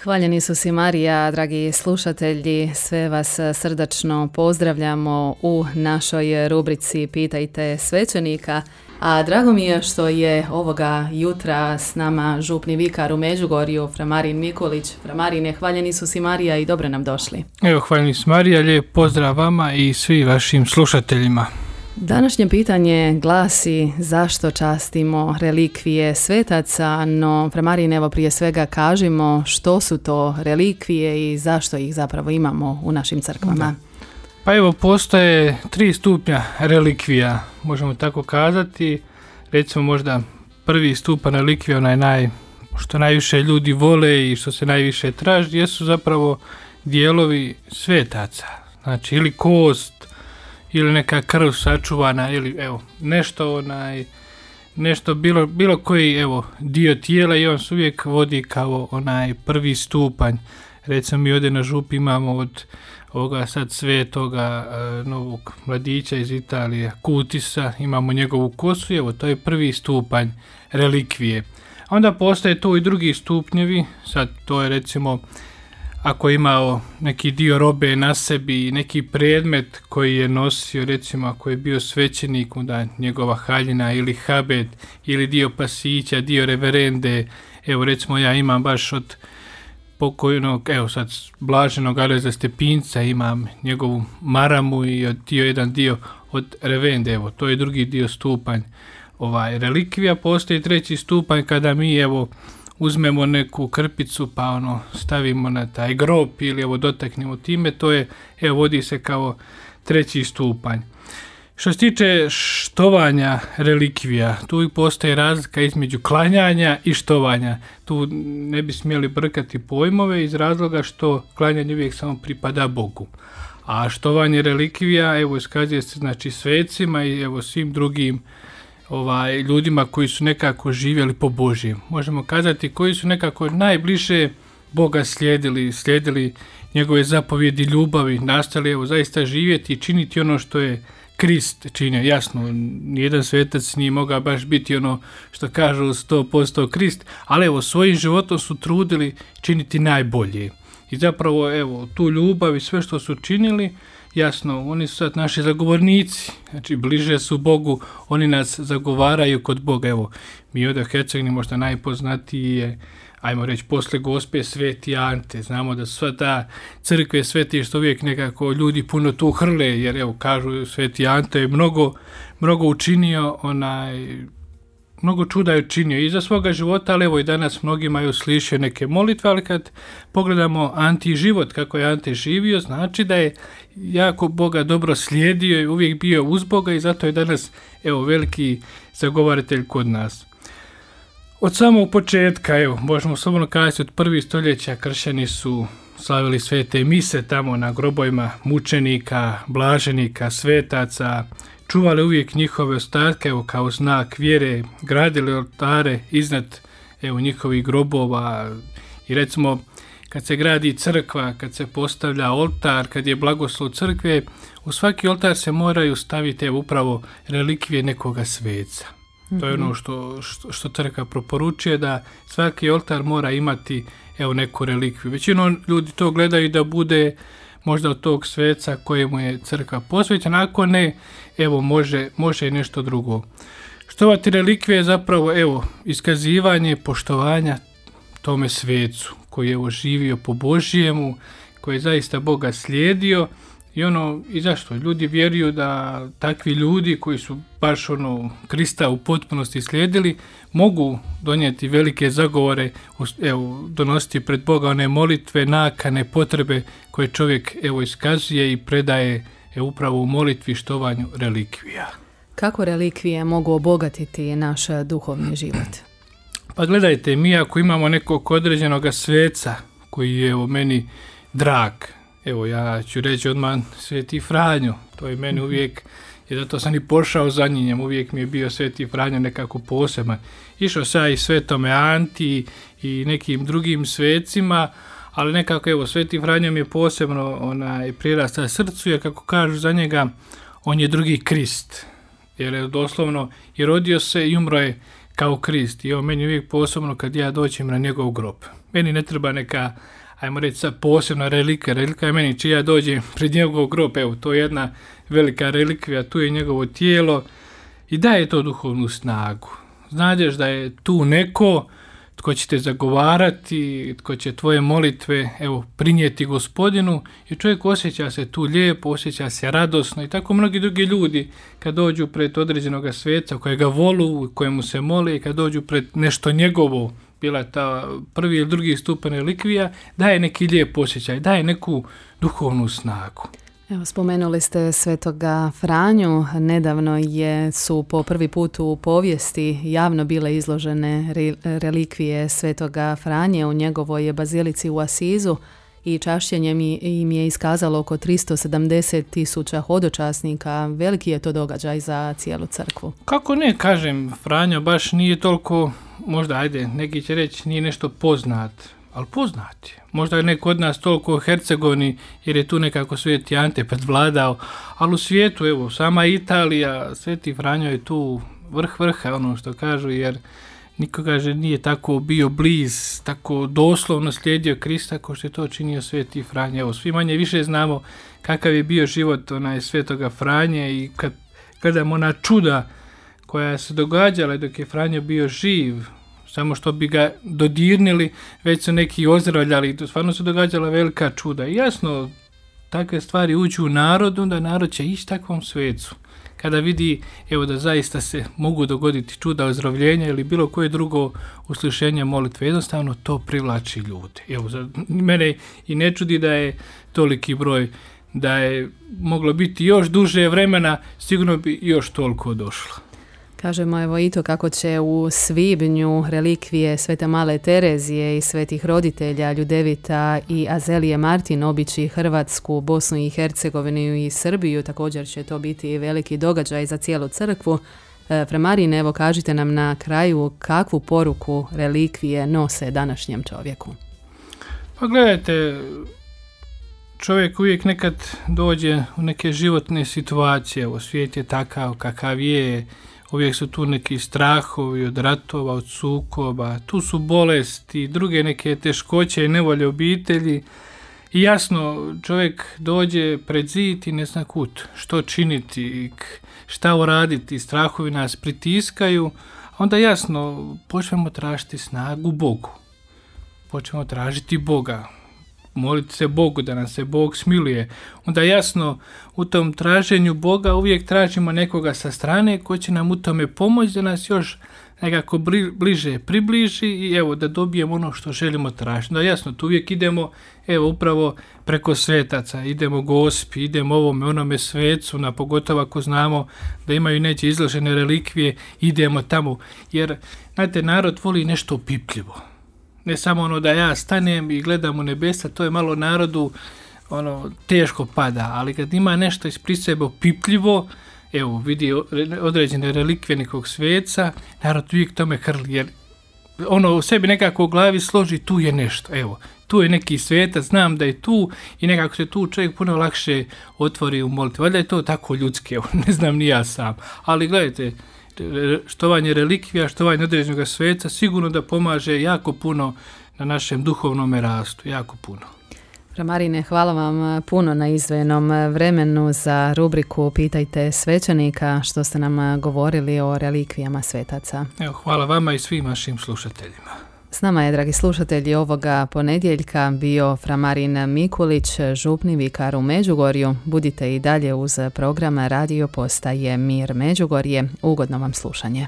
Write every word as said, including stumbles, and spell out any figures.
Hvaljeni su si Marija, dragi slušatelji, sve vas srdačno pozdravljamo u našoj rubrici Pitajte svećenika. A drago mi je što je ovoga jutra s nama župni vikar u Međugorju, fra Marin Mikulić. Fra Marine, hvaljeni su si Marija i dobro nam došli. Evo, hvaljeni su Marija, lijep pozdrav vama i svim vašim slušateljima. Današnje pitanje glasi zašto častimo relikvije svetaca, no fra Marine, evo prije svega kažimo što su to relikvije i zašto ih zapravo imamo u našim crkvama. Da. Pa evo, postoje tri stupnja relikvija, možemo tako kazati. Recimo možda prvi stupanj relikvija, onaj naj, što najviše ljudi vole i što se najviše traži, jesu zapravo dijelovi svetaca. Znači ili kost, ili neka krv sačuvana, ili evo, nešto onaj, nešto bilo, bilo koji evo, dio tijela i on se uvijek vodi kao onaj prvi stupanj. Recimo mi ovdje na župi imamo od ovoga sad svetoga uh, novog mladića iz Italije, Kutisa, imamo njegovu kosu, evo to je prvi stupanj relikvije. A onda postoje tu i drugi stupnjevi, sad to je recimo ako je imao neki dio robe na sebi, neki predmet koji je nosio, recimo ako je bio svećenik, onda njegova haljina ili habet, ili dio pasića, dio reverende, evo recimo ja imam baš od pokojnog, evo sad blaženog Alojza Stepinca, imam njegovu maramu i od dio, jedan dio od revende, evo to je drugi dio stupanj ovaj, relikvija. Postoji treći stupanj kada mi evo uzmemo neku krpicu pa ono stavimo na taj grob ili evo dotaknemo time, to je evo vodi se kao treći stupanj. Što se tiče štovanja relikvija, tu postoji razlika između klanjanja i štovanja. Tu ne bi smjeli brkati pojmove iz razloga što klanjanje uvijek samo pripada Bogu. A štovanje relikvija evo iskazuje se znači svecima i evo svim drugim ovaj, ljudima koji su nekako živjeli po Božjem. Možemo kazati koji su nekako najbliže Boga slijedili, slijedili njegove zapovjedi ljubavi, nastali evo zaista živjeti i činiti ono što je Krist činio. Jasno, nijedan svetac nije mogao baš biti ono što kažu sto posto Krist, ali evo svojim životom su trudili činiti najbolje. I zapravo evo tu ljubav i sve što su činili, jasno, oni su sad naši zagovornici, znači bliže su Bogu, oni nas zagovaraju kod Boga. Evo, mi ovdje u Hercegovini možda najpoznatiji je, ajmo reći, posle Gospe Sveti Ante. Znamo da sva ta crkve sveti što uvijek nekako ljudi puno tu hrle, jer evo kažu Sveti Ante je mnogo, mnogo učinio, onaj, mnogo čuda je učinio i za svoga života, ali evo i danas mnogima je uslišio neke molitve, ali kad pogledamo Anti život, kako je Ante živio, znači da je jako Boga dobro slijedio i uvijek bio uz Boga i zato je danas evo veliki zagovaratelj kod nas. Od samog početka, evo, možemo slobodno kazati, od prvih stoljeća kršćani su slavili svete mise tamo na grobovima mučenika, blaženika, svetaca, čuvali uvijek njihove ostatke, evo, kao znak vjere, gradili oltare iznad evo, njihovih grobova i recimo kad se gradi crkva, kad se postavlja oltar, kad je blagoslov crkve, u svaki oltar se moraju staviti evo, upravo relikvije nekoga sveca. To je ono što, što, što crkva proporučuje, da svaki oltar mora imati evo, neku relikviju. Većinom ljudi to gledaju da bude možda od tog sveca kojemu je crkva posvećena, ako ne, evo može, može i nešto drugo. Štovati relikvije je zapravo evo, iskazivanje poštovanja tome svecu koji je evo, živio po Božjemu, koji je zaista Boga slijedio. I ono, i zašto? Ljudi vjeruju da takvi ljudi koji su baš ono Krista u potpunosti slijedili, mogu donijeti velike zagovore, evo, donositi pred Boga one molitve, nakane, potrebe koje čovjek evo iskazuje i predaje evo, upravo u molitvi štovanju relikvija. Kako relikvije mogu obogatiti naš duhovni život? Pa gledajte, mi ako imamo nekog određenog sveca koji je evo meni drag, evo ja ću reći odmah Sveti Franjo, to je meni uvijek, i zato sam i pošao za njim, uvijek mi je bio Sveti Franjo nekako poseban. Išao sam i Svetome Anti i nekim drugim svecima, ali nekako evo Sveti Franjo mi je posebno onaj, prirasta srcu, jer kako kažu za njega, on je drugi Krist, jer je doslovno i rodio se i umro je kao Krist. I on meni uvijek posebno kad ja dođem na njegov grob. Meni ne treba neka, ajmo reći sad, posebna relikvija. Relikvija je meni čija dođem pred njegov grob. Evo, to je jedna velika relikvija, tu je njegovo tijelo i daje to duhovnu snagu. Znaš da je tu neko tko će te zagovarati, tko će tvoje molitve, evo, prinijeti Gospodinu i čovjek osjeća se tu lijepo, osjeća se radosno i tako mnogi drugi ljudi kad dođu pred određenog sveca kojega volu, kojemu se mole i kad dođu pred nešto njegovo, bila ta prvi ili drugi stupanj relikvija, daje neki lijep osjećaj, daje neku duhovnu snagu. Evo, spomenuli ste svetoga Franju. Nedavno je, su po prvi put u povijesti javno bile izložene re, relikvije svetoga Franje u njegovoj bazilici u Asizu i čašćenje im je iskazalo oko tristo sedamdeset tisuća hodočasnika. Veliki je to događaj za cijelu crkvu. Kako ne, kažem, Franjo baš nije toliko, možda, ajde, neki će reći, nije nešto poznat, ali poznati. Možda je neko od nas toliko u Hercegovini, jer je tu nekako Sveti Ante predvladao, ali u svijetu, evo, sama Italija, Sveti Franjo je tu vrh vrha, ono što kažu, jer niko kaže nije tako bio bliz, tako doslovno slijedio Krista kao što je to činio Sveti Franjo. Evo, svi manje više znamo kakav je bio život onaj Svetoga Franje i kad gledamo ona čuda koja se događala dok je Franjo bio živ, samo što bi ga dodirnili, već su neki ozdravljali i to stvarno se događala velika čuda. I jasno, takve stvari uđu u narod, onda narod će ići takvom svecu. Kada vidi, evo, da zaista se mogu dogoditi čuda ozdravljenja ili bilo koje drugo uslišenje molitve, jednostavno to privlači ljude. Evo, za mene i ne čudi da je toliki broj, da je moglo biti još duže vremena, sigurno bi još toliko došlo. Kažemo evo i to kako će u svibnju relikvije Svete Male Terezije i svetih roditelja Ljudevita i Azelije Martin obići Hrvatsku, Bosnu i Hercegovinu i Srbiju. Također će to biti veliki događaj za cijelu crkvu. Framarine, evo kažite nam na kraju kakvu poruku relikvije nose današnjem čovjeku. Pa gledajte, čovjek uvijek nekad dođe u neke životne situacije, u svijet je takav kakav je, uvijek su tu neki strahovi od ratova, od sukoba, tu su bolesti, druge neke teškoće i nevolje obitelji. I jasno, čovjek dođe pred zid i ne zna kud, što činiti, šta uraditi, strahovi nas pritiskaju. Onda jasno, počnemo tražiti snagu Bogu. Počnemo tražiti Boga. Moliti se Bogu da nam se Bog smiluje. Onda jasno, u tom traženju Boga uvijek tražimo nekoga sa strane koji će nam u tome pomoći da nas još nekako bliže približi i evo da dobijemo ono što želimo tražiti. Da jasno, tu uvijek idemo evo upravo preko svetaca, idemo Gospi, idemo ovome onome svecu, na pogotovo ako znamo da imaju neće izložene relikvije, idemo tamo, jer znate, narod voli nešto opipljivo. Ne samo ono da ja stanem i gledam u nebesa, to je malo narodu ono teško pada, ali kad ima nešto ispred sebe opipljivo, evo vidi određene relikvije nekog sveca, narod uvijek tome hrli, jer ono u sebi nekako u glavi složi tu je nešto, evo, tu je neki svetac, znam da je tu i nekako se tu čovjek puno lakše otvori u molitvi. Valjda je to tako ljudski, evo, ne znam ni ja sam, ali gledajte, štovanje relikvija, štovanje određenog sveca sigurno da pomaže jako puno na našem duhovnom rastu, jako puno. Framarine, hvala vam puno na izdvojenom vremenu za rubriku Pitajte svećenika, što ste nam govorili o relikvijama svetaca. Evo, hvala vama i svim vašim slušateljima. S nama je, dragi slušatelji, ovoga ponedjeljka bio Framarin Mikulić, župni vikar u Međugorju. Budite i dalje uz program radio postaje Mir Međugorje. Ugodno vam slušanje.